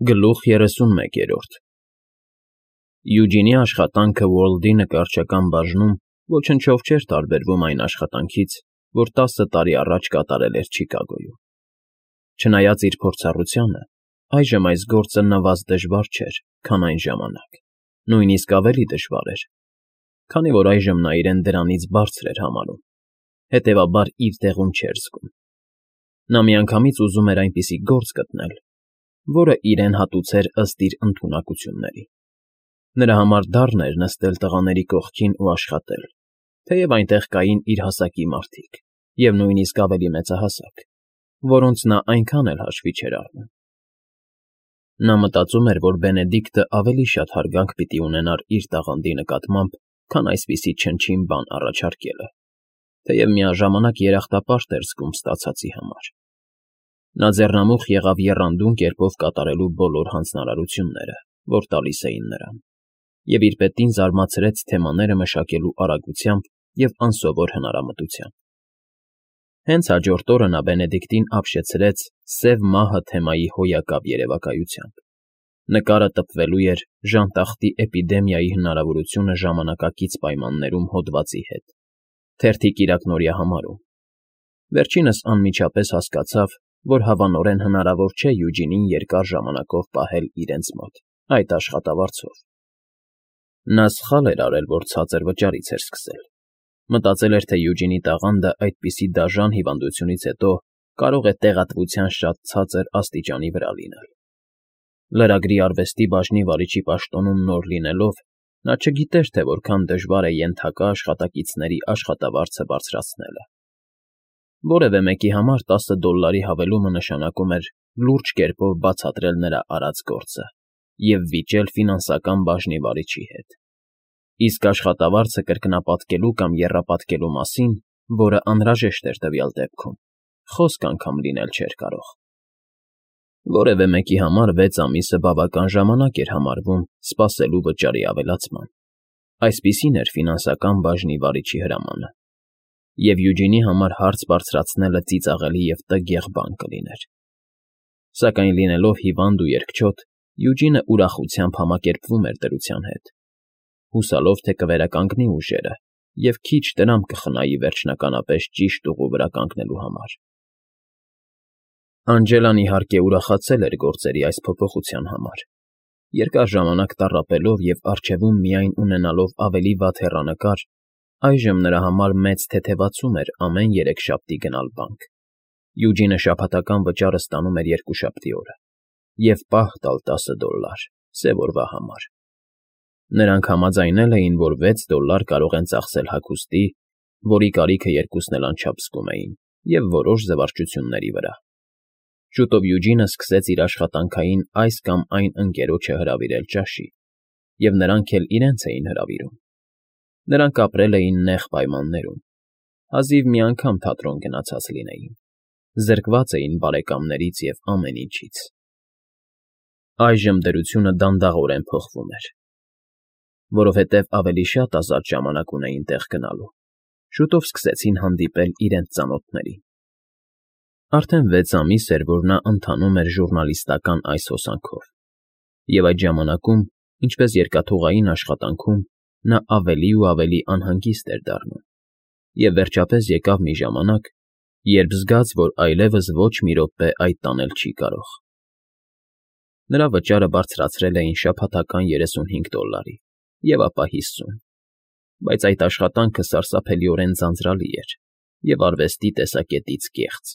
Գլուխ 31 Յուջինի աշխատանքը Ուորլդի նկարչական բաժնում ոչնչով չէր տարբերվում այն աշխատանքից, որ 10 տարի առաջ կատարել էր Չիկագոյում. չնայած իր փորձառությանը, այժմ այս գործը նվազ դժվար չէր, քան այն ժամանակ, նույնիսկ ավելի դժվար էր, քանի որ այժմ նա իրեն դրանից բարձր էր համարում, հետևաբար իր տեղում չէր զգում. նա միանգամից ուզում էր այնպիսի գործ գտնել, որը իրեն հատուցեր ըստ իր ընդունակությունների. նրա համար դառն էր նստել տղաների կողքին ու աշխատել, թեև այնտեղ կային իր հասակի մարդիկ և նույնիսկ ավելի մեծահասակ, որոնց նա այնքան էլ հաշվի չէր առնում. նա մտածում էր, որ Բենեդիկտը ավելի շատ հարգանք պիտի ունենար իր տաղանդի նկատմամբ, քան այսպիսի չնչին բան առաջարկելը, թեև միաժամանակ երախտապարտ էր զգում ստացածի համար. նա ձեռնամուխ եղավ եռանդուն կերպով կատարելու բոլոր հանձնարարությունները, որ տալիս էին նրան, և իր պետին զարմացրեց թեմաները մշակելու արագությամբ և անսովոր հնարամտությամբ. հենց հաջորդ օրը նա Բենեդիկտին ապշեցրեց «Սև մահը» թեմայի հոյակապ երևակայությամբ. նկարը տպվելու էր ժանտախտի էպիդեմիայի հնարավորությունը ժամանակակից պայմաններում հոդվածի հետ, թերթի կիրակնօրյա համարում. վերջինս անմիջապես հասկացավ, որ հավանորեն հնարավոր չէ Յուջինին երկար ժամանակով պահել իրենց մոտ այդ աշխատավարձով. նա սխալ էր արել, որ ցածր վճարից էր սկսել, մտածել էր, թե Յուջինի տաղանդը այդպիսի դաժան հիվանդությունից հետո կարող է տեղատվության շատ ցածր աստիճանի վրա լինել. լրագրի արվեստի բաժնի վարիչի պաշտոնում նոր լինելով, նա չգիտեր, թե որքան դժվար է ենթակա աշխատակիցների աշխատավարձը բարձրացնելը. որևէ մեկի համար $10 հավելումը նշանակում էր լուրջ կերպով բացատրել նրա արած գործը և վիճել ֆինանսական բաժնի վարիչի հետ, իսկ աշխատավարձը կրկնապատկելու կամ եռապատկելու մասին, որը անհրաժեշտ էր տվյալ դեպքում, խոսք անգամ լինել չէր կարող. որևէ մեկի համար 6 ամիսը բավական ժամանակ էր համարվում սպասելու վճարի ավելացման, այսպիսին էր ֆինանսական բաժնի վարիչի հրամանը, և Յուջինի համար հարց բարձրացնելը ծիծաղելի և տգեղ բան կլիներ. սակայն լինելով հիվանդ ու երկչոտ, Յուջինը ուրախությամբ համակերպվում էր դրության հետ, հուսալով, թե կվերականգնի ուժերը և քիչ տրամփ կխնայի վերջնականապես ճիշտ ուղու վրա կանգնելու համար. Անջելան, իհարկե, ուրախացել էր գործերի այս փոփոխության համար, երկար ժամանակ տառապելով և առջևում միայն ունենալով ավելի վատ հեռանկար, այժմ նրա համար մեծ թեթևացում էր ամեն երեքշաբթի գնալ բանկ. Յուջինը շաբաթական վճարը ստանում էր երկուշաբթի օրը և պահ տալ $10 սև օրվա համար. նրանք համաձայնել էին, որ $6 կարող են ծախսել հագուստի, որի կարիքը երկուսն էլ անչափ զգում էին, և որոշ զվարճությունների վրա. շուտով Յուջինը սկսեց իր աշխատանքային այս կամ այն ընկերոջը հրավիրել ճաշի, և նրանք էլ իրենց էին հրավիրում. նրանք ապրել էին նեղ պայմաններում, հազիվ մի անգամ թատրոն գնացած լինեին, զրկված էին բարեկամներից և ամեն ինչից. այժմ դրությունը դանդաղորեն փոխվում էր, որովհետև ավելի շատ ազատ ժամանակ ունեին տեղ գնալու, շուտով սկսեցին հանդիպել իրենց ծանոթներին. արդեն 6 ամիս էր, որ նա ընթանում էր ժուռնալիստական այս հոսանքով, և այդ ժամանակում, ինչպես երկաթուղային աշխատանքում, նա ավելի ու ավելի անհանգիստ էր դառնում, և վերջապես եկավ մի ժամանակ, երբ զգաց, որ այլևս ոչ մի րոպե այդ տանել չի կարող. նրա վճարը բարձրացրել էին շաբաթական $35 և ապա 50, բայց այդ աշխատանքը սարսափելիորեն ձանձրալի էր և արվեստի տեսակետից կեղծ.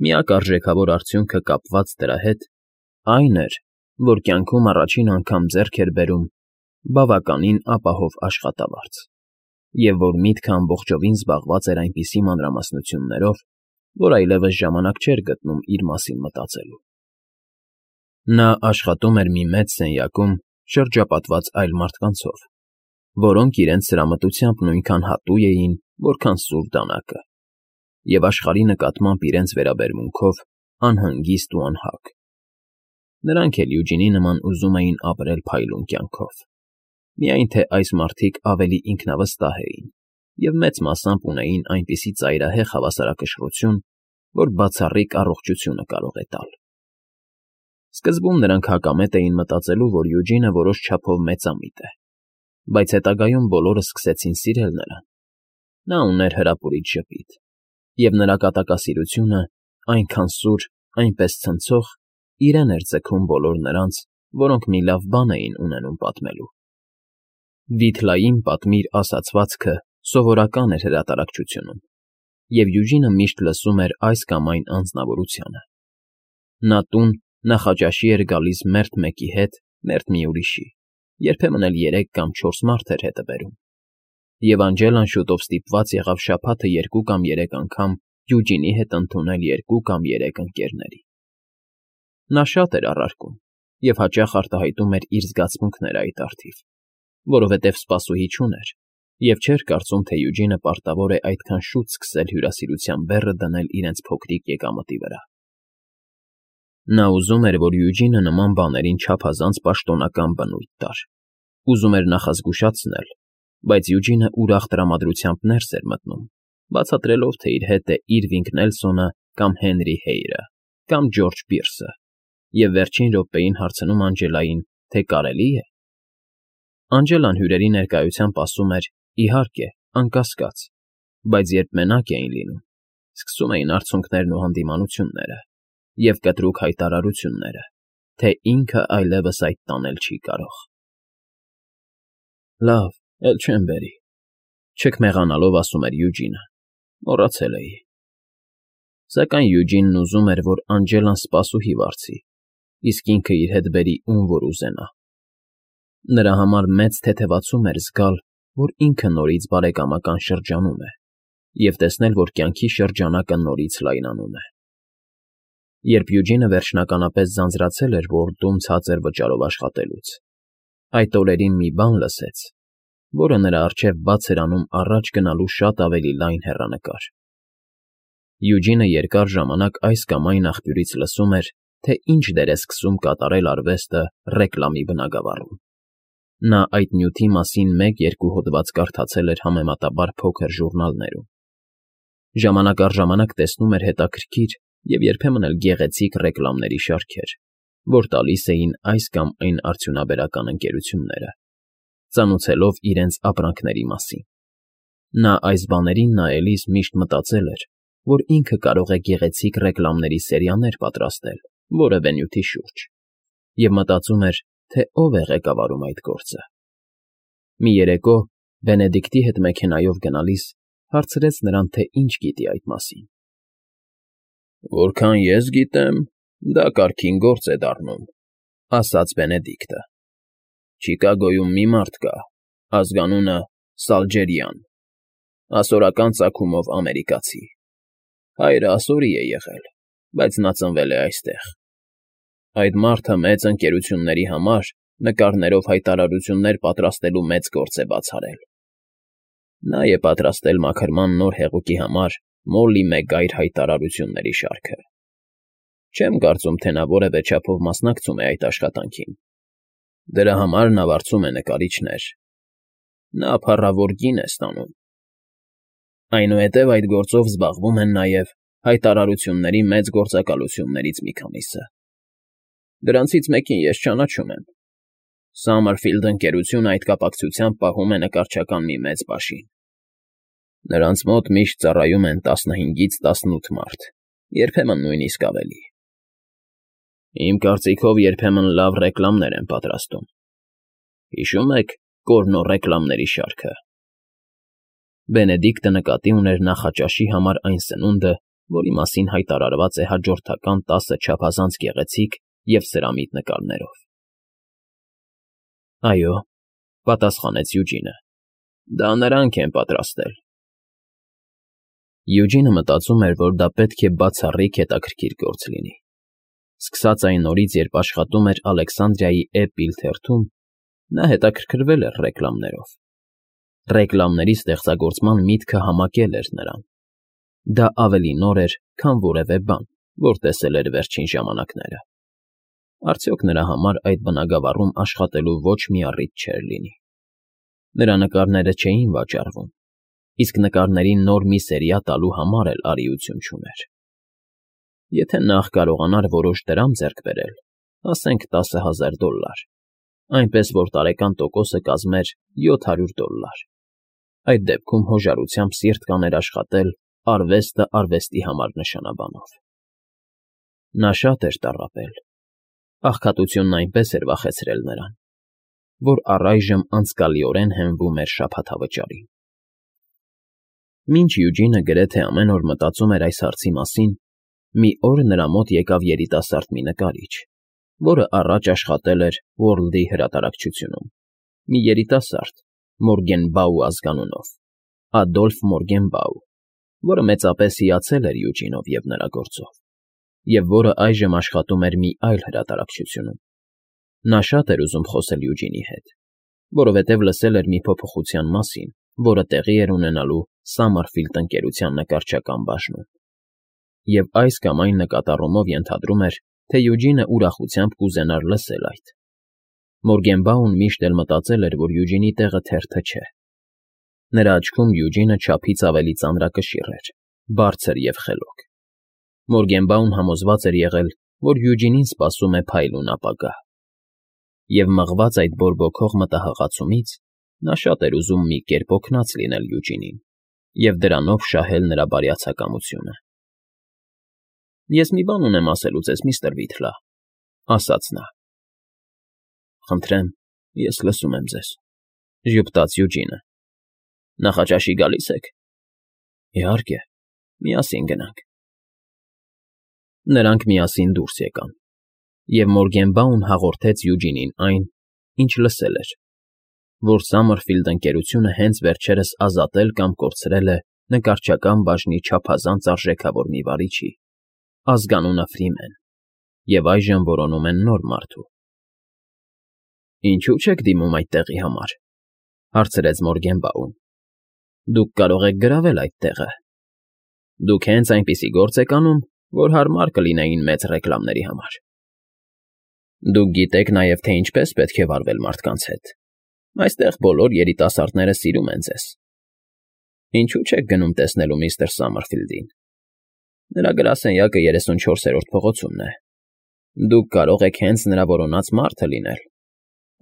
միակ արժեքավոր արդյունքը կապված դրա հետ այն էր, որ կյանքում առաջին անգամ ձեռք էր բերում բավականին ապահով աշխատավարձ, և որ միտքը ամբողջովին զբաղված էր այնպիսի մանրամասնություններով, որ այլևս ժամանակ չէր գտնում իր մասին մտածելու. նա աշխատում էր մի մեծ սենյակում շրջապատված այլ մարդկանցով, որոնք իրենց սրամտությամբ նույնքան հատուկ էին, որքան սուր դանակը, և աշխարհի նկատմամբ իրենց վերաբերմունքով անհանգիստ ու անհագ. նրանք էլ Յուջինի նման ուզում էին ապրել փայլուն կյանքով, միայն թե այս մարդիկ ավելի ինքնավստահ էին և մեծ մասամբ ունեին այնպիսի ծայրահեղ հավասարակշռություն, որ բացառիկ առողջությունը կարող է տալ. Սկզբում նրանք հակամետ էին մտածելու, որ Յուջինը որոշ չափով մեծամիտ է, բայց հետագայում բոլորը սկսեցին սիրել նրան։ Նա ուներ հրապուրիչ ժպիտ, և նրա կատակասիրությունը, այնքան սուր, այնպես ցնցող, իրեն էր ձգում բոլոր նրանց, որոնք մի լավ բան էին ունենում պատմելու։ Վիթլային պատմիր ասացվածքը սովորական էր հրատարակչությունում, և Յուջինը միշտ լսում էր այս կամ այն անձնավորությանը։ Նա տուն նախաճաշի էր գալիս մերթ մեկի հետ, մերթ մի ուրիշի, երբեմն էլ 3 կամ 4 մարդ էր հետը բերում։ Եվ Անջելան շուտով ստիպված եղավ շաբաթը 2 կամ 3 անգամ Յուջինի հետ ընդունել 2 կամ 3 ընկերների։ Նա շատ էր առարկում և հաճախ արտահայտում էր իր զգացմունքները այդ առթիվ, որովհետև սպասուհի չուներ, և չէր կարծում, թե Յուջինը պարտավոր է այդքան շուտ սկսել հյուրասիրության բեռը դնել իրենց փոքրիկ եկամտի վրա։ Նա ուզում էր, որ Յուջինը նման բաներին չափազանց պաշտոնական բնույթ տար, ուզում էր նախազգուշացնել, բայց Յուջինը ուրախ տրամադրությամբ ներս էր մտնում, բացատրելով, թե իր հետ է Իրվինգ Նելսոնը կամ Հենրի Հեյրը կամ Ջորջ Պիրսը, և վերջին րոպեին հարցնում Անջելային, թե կարելի է։ Անջելան հյուրերի ներկայությամբ ասում էր. «Իհարկե, անկասկած», բայց երբ մենակ էին լինում, սկսում էին արցունքներն ու հանդիմանությունները և կտրուկ հայտարարությունները, թե ինքը այլևս այդ տանել չի կարող։ «Լավ, էլ չեմ բերի», չքմեղանալով ասում էր Յուջինը, մոռացել էի։ Սակայն Յուջինն ուզում էր, որ Անջելան սպասուհի վարձի, իսկ ինքը իր հետ բերի ում որ ուզենա։ Նրա համար մեծ թեթևացում էր զգալ, որ ինքը նորից բարեկամական շրջանում է, և տեսնել, որ կյանքի շրջանակը նորից լայնանում է։ Երբ Յուջինը վերջնականապես ձանձրացել էր Ուորլդում ցածր վճարով աշխատելուց, այդ օրերին մի բան լսեց, որը նրա առջև բաց էր անում առաջ գնալու շատ ավելի լայն հեռանկար։ Յուջինը երկար ժամանակ այս կամ այն աղբյուրից լսում էր, թե ինչ դեր է սկսում կատարել արվեստը ռեկլամի բնագավառում։ Նա այդ նյութի մասին 1-2 հոդված կարդացել էր համեմատաբար փոքր ժուրնալներում։ Ժամանակ առ ժամանակ տեսնում էր հետաքրքիր և երբեմն էլ գեղեցիկ ռեկլամների շարքեր, որ տալիս էին այս կամ այն արդյունաբերական ընկերությունները, ծանուցելով իրենց ապրանքների մասին։ Նա այս բաներին նայելիս միշտ մտածել էր, որ ինքը կարող է գեղեցիկ ռեկլամների սերիաներ պատրաստել որևէ նյութի շուրջ, և մտածում էր, թե ով է ղեկավարում այդ գործը։ Մի երեկո Բենեդիկտի հետ մեքենայով գնալիս հարցրեց նրան, թե ինչ գիտի այդ մասին։ «Որքան ես գիտեմ, դա կարգին գործ է դառնում», ասաց Բենեդիկտը։ «Չիկագոյում մի մարդ կա, ազգանունը Սալջերյան, ասորական ծագումով ամերիկացի։ Հայրը ասորի է եղել, բայց նա ծնվել է այստեղ։ Այդ մարդը մեծ ընկերությունների համար նկարներով հայտարարություններ պատրաստելու մեծ գործ է բաց արել։ Նա է պատրաստել մաքրման նոր հեղուկի համար Մոլլի Մեգայր հայտարարությունների շարքը։ Չեմ կարծում, թե նա որևէ չափով մասնակցում է այդ աշխատանքին։ Դրա համար նա վարձում է նկարիչներ։ Նա փառավոր գին է ստանում։ Այնուհետև այդ գործով զբաղվում են նաև հայտարարությունների մեծ գործակալություններից մի քանիսը։ Դրանցից մեկին ես ճանաչում եմ։ Սամմերֆիլդ ընկերությունը այդ կապակցությամբ պահում է նկարչական մի մեծ պաշին։ Նրանց մոտ միշտ ծառայում են 15-ից 18 մարդ, երբեմն նույնիսկ ավելի։ Իմ կարծիքով երբեմն լավ ռեկլամներ են պատրաստում։ Հիշո՞ւմ եք Կորնո ռեկլամների շարքը։ Բենեդիկտը նկատի ուներ նախաճաշի համար այն սնունդը, որի մասին հայտարարված է հաջորդական 10 չափազանց գեղեցիկ և սրամիտ նկարներով։ Այո, պատասխանեց Յուջինը, դա նրանք են պատրաստել։ Յուջինը մտածում էր, որ դա պետք է բացառիկ հետաքրքիր գործ լինի։ Սկսած այն օրից, երբ աշխատում էր Ալեքսանդրիայի Էպիլ թերթում, նա հետաքրքրվել էր ռեկլամներով։ Ռեկլամների ստեղծագործման միտքը համակել էր նրան։ Դա ավելի նոր էր, քան որևէ բան, որ տեսել էր վերջին ժամանակները։ Արդյոք նրա համար այդ բնագավառում աշխատելու ոչ մի առիթ չէր լինի։ Նրա նկարները չէին վաճառվում, իսկ նկարներին նոր մի սերիա տալու համար էլ արիություն չուներ։ Եթե նախ կարողանար որոշ դրամ ձեռք բերել, ասենք $10,000, այնպես որ տարեկան տոկոսը կազմեր $700. Այդ դեպքում հոժարությամբ սիրտ կաներ աշխատել արվեստը արվեստի համար նշանաբանով։ Նա շատ էր տառապել, աղքատությունն այնպես էր վախեցրել նրան, որ առայժմ անցկալիորեն հենվում էր շաբաթավճարին։ Մինչ Յուջինը գրեթե ամեն օր մտածում էր այս հարցի մասին, մի օր նրա մոտ եկավ երիտասարդ մի նկարիչ, որը առաջ աշխատել էր World-ի հրատարակչությունում, մի երիտասարդ, Մորգենբաու ազգանունով, Ադոլֆ Մորգենբաու, որը մեծապես հիացել էր Յուջինով և նրա գործով, և որը այժմ աշխատում էր մի այլ հրատարակչությունում։ Նա շատ էր ուզում խոսել Յուջինի հետ, որովհետև լսել էր մի փոփոխության մասին, որը տեղի էր ունենալու Սամարֆիլդ ընկերության նկարչական բաժնում, և այս կամ այն նկատառումով ենթադրում էր, թե Յուջինը ուրախությամբ կուզենար լսել այդ։ Մորգենբաուն միշտ էլ մտածել էր, որ Յուջինի տեղը թերթը չէ։ Նրա աչքում Յուջինը չափից ավելի ծանրակշիռ էր, բարձր և խելոք։ Մորգենբաուն համոզված էր եղել, որ Յուջինին սպասում է փայլուն ապագա։ Եվ մղված այդ բորբոքող մտահղացումից, նա շատ էր ուզում մի կերպ օգնած լինել Յուջինին և դրանով շահել նրա բարյացակամությունը։ «Ես մի բան ունեմ ասելու ձեզ, միստր Վիթլա,֊ ասաց նա։ «Խնդրեմ, ես լսում եմ ձեզ,֊ ժպտաց Յուջինը։ Նախաճաշի գալի՞ս եք»։ «Իհարկե, միասին գնանք»։ Նրանք միասին դուրս եկան, և Մորգենբաուն հաղորդեց Յուջինին այն, ինչ լսել էր, որ Սամերֆիլդ ընկերությունը հենց վերջերս ազատել կամ կորցրել է նկարչական բաժնի չափազանց արժեքավոր մի վարիչի, ազգանունը Ֆրիմեն, և այժմ որոնում են նոր մարդու։ «Ինչո՞ւ չեք դիմում այդ տեղի համար,֊ հարցրեց Մորգենբաուն։ Դուք կարող եք գրավել այդ տեղը։ Դուք հենց այնպիսի գործ եք անում, որ հարմար կլինեին մեծ ռեկլամների համար։ Դուք գիտեք նաև, թե ինչպես պետք է վարվել մարդկանց հետ։ Այստեղ բոլոր երիտասարդները սիրում են ձեզ։ Ինչո՞ւ չեք գնում տեսնելու միստր Սամերֆիլդին։ Նրա գրասենյակը 34-րդ փողոցումն է։ Դուք կարող եք հենց նրա որոնած մարդը լինել։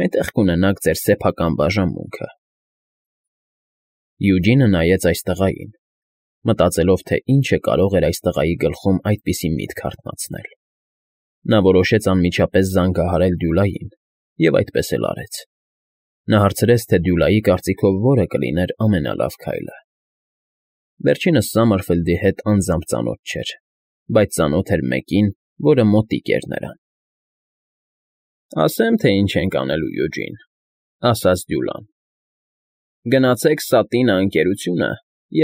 Այնտեղ կունենաք ձեր սեփական բաժանմունքը։ Յուջինը նայեց այս տղային, մտածելով, թե ինչը կարող էր այս տղայի գլխում այդպիսի միտք հարթնացնել։ Նա որոշեց անմիջապես զանգահարել Դյուլային և այդպես էլ արեց։ Նա հարցրեց, թե Դյուլայի կարծիքով որը կլիներ ամենալավ քայլը։ Վերջինս Սամերֆիլդի հետ անձամբ ծանոթ չէր, բայց ծանոթ էր մեկին, որը մոտիկ էր նրան։ «Ասեմ, թե ինչ ենք անելու, Յուջին,֊ ասաց Դյուլան։ Գնացեք Սատինա ընկերությունը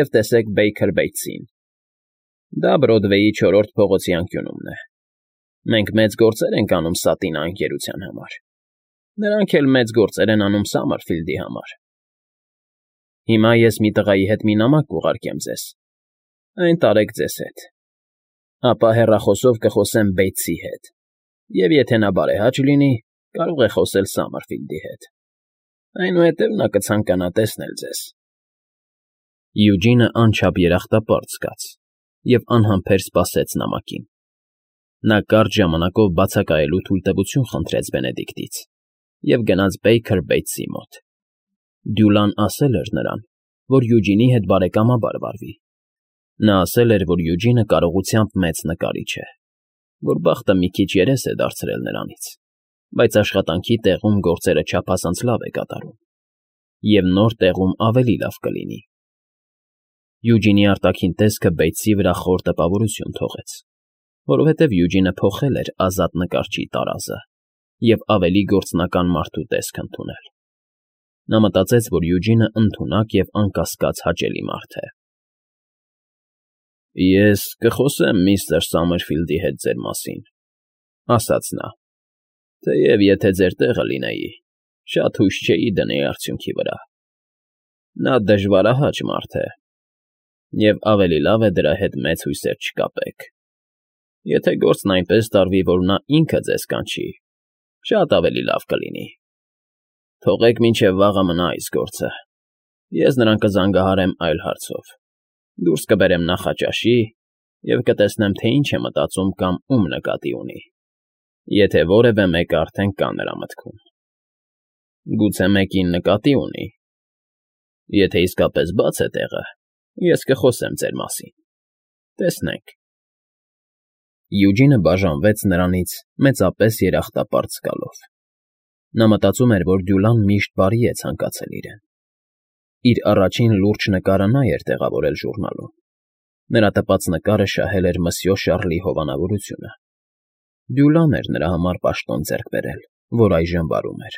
և տեսեք Բեյքեր Բեյթսին։ Դա Բրոդվեյի 4-րդ փողոցի անկյունումն է։ Մենք մեծ գործեր ենք անում Սատինա ընկերության համար։ Նրանք էլ մեծ գործեր են անում Սամերֆիլդի համար։ Հիմա ես մի տղայի հետ մի նամակ կուղարկեմ ձեզ։ Այն տարեք ձեզ հետ։ Ապա հեռախոսով կխոսեմ Բեյթսի հետ, և եթե նա բարեհաճ լինի, կարող է խոսել Սամերֆիլդի հետ։ Այնուհետև նա կցանկանա տեսնել ձեզ։ Յուջինը անչափ երախտապարտ զգաց և անհամբեր սպասեց նամակին։ Նա կարճ ժամանակով բացակայելու թույլտվություն խնդրեց Բենեդիկտից և գնաց Բեյքեր Բեյթսի մոտ։ Դյուլան ասել էր նրան, որ Յուջինի հետ բարեկամաբար վարվի։ Նա ասել էր, որ Յուջինը կարողությամբ մեծ նկարիչ է, որ բախտը մի քիչ երես է դարձրել նրանից, բայց աշխատանքի տեղում գործերը չափազանց լավ է կատարում, և նոր տեղում ավելի լավ կլինի։ Յուջինի արտաքին տեսքը Բեյթսի վրա խոր տպավորություն թողեց, որովհետև Յուջինը փոխել էր ազատ նկարչի տարազը և ավելի գործնական մարդու տեսք ընդունել։ Նա մտածեց, որ Յուջինը ընդունակ և անկասկած հաճելի մարդ է։ «Ես կխոսեմ միստր Սամերֆիլդի հետ ձեր մասին,֊ ասաց նա, թեև եթե ձեր տեղը լինեի, շատ հույս չէի դնեի արդյունքի վրա։ Նա դժվարահաճ մարդ է, և ավելի լավ է դրա հետ մեծ հույսեր չկապեք։ Եթե գործն այնպես տարվի, որ նա ինքը ձեզ կանչի, շատ ավելի լավ կլինի։ Թողեք մինչև վաղը մնա այս գործը։ Ես նրան կզանգահարեմ այլ հարցով։ Դուրս կբերեմ նախաճաշի և կտեսնեմ, թե ինչ է մտածում կամ ում նկատի ունի։ Եթե որևէ մեկը արդեն կա նրա մտքում։ Գուցե մեկին նկատի ունի։ Եթե իսկապես բաց է տեղը, ես կխոսեմ ձեր մասին։ Տեսնենք։ Յուջինը բաժանվեց նրանից մեծապես երախտապարտ զգալով։ Նա մտածում էր, որ Դյուլան միշտ բարի է ցանկացել իրեն։ Իր առաջին լուրջ նկարը նա էր տեղավորել ժուրնալում։ Նրա տպած նկարը շահել էր Մսյո Շարլի հովանավորությունը։ Դյուլան էր նրա համար պաշտոն ձեռք բերել, որ այժմ վարում էր։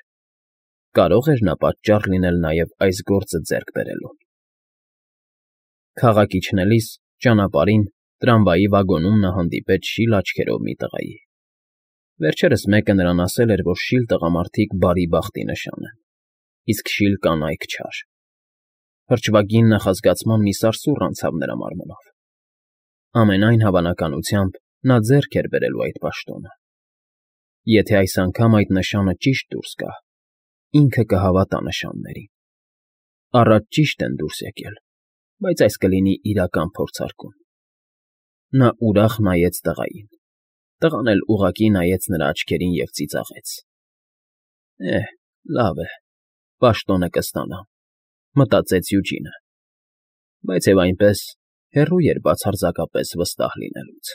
Կարո՞ղ էր նա պատճառ լինել նաև այս գործը ձեռք բերելուն։ Քաղաք իջնելիս ճանապարհին տրամվայի վագոնում նա հանդիպեց շիլ աչքերով մի տղայի։ Վերջերս մեկը նրան ասել էր, որ շիլ տղամարդիկ բարի բախտի նշան են, իսկ շիլ կանայք չար։ Հրճվագին նախազգացման մի սարսուռ անցավ նրա մարմնով։ Ամենայն հավանականությամբ նա ձեռք էր բերելու այդ պաշտոնը։ Եթե այս անգամ այդ նշանը ճիշտ դուրս գա, ինքը կհավատա նշաններին։ Առաջ ճիշտ են դուրս եկել, բայց այս կլինի իրական փորձարկում։ Նա ուրախ նայեց տղային։ Տղան էլ ուղղակի նայեց նրա աչքերին և ծիծաղեց։ Լավ է, պաշտոնը կստանամ, մտածեց Յուջինը, բայց և այնպես հեռու էր բացարձակապես վստահ լինելուց։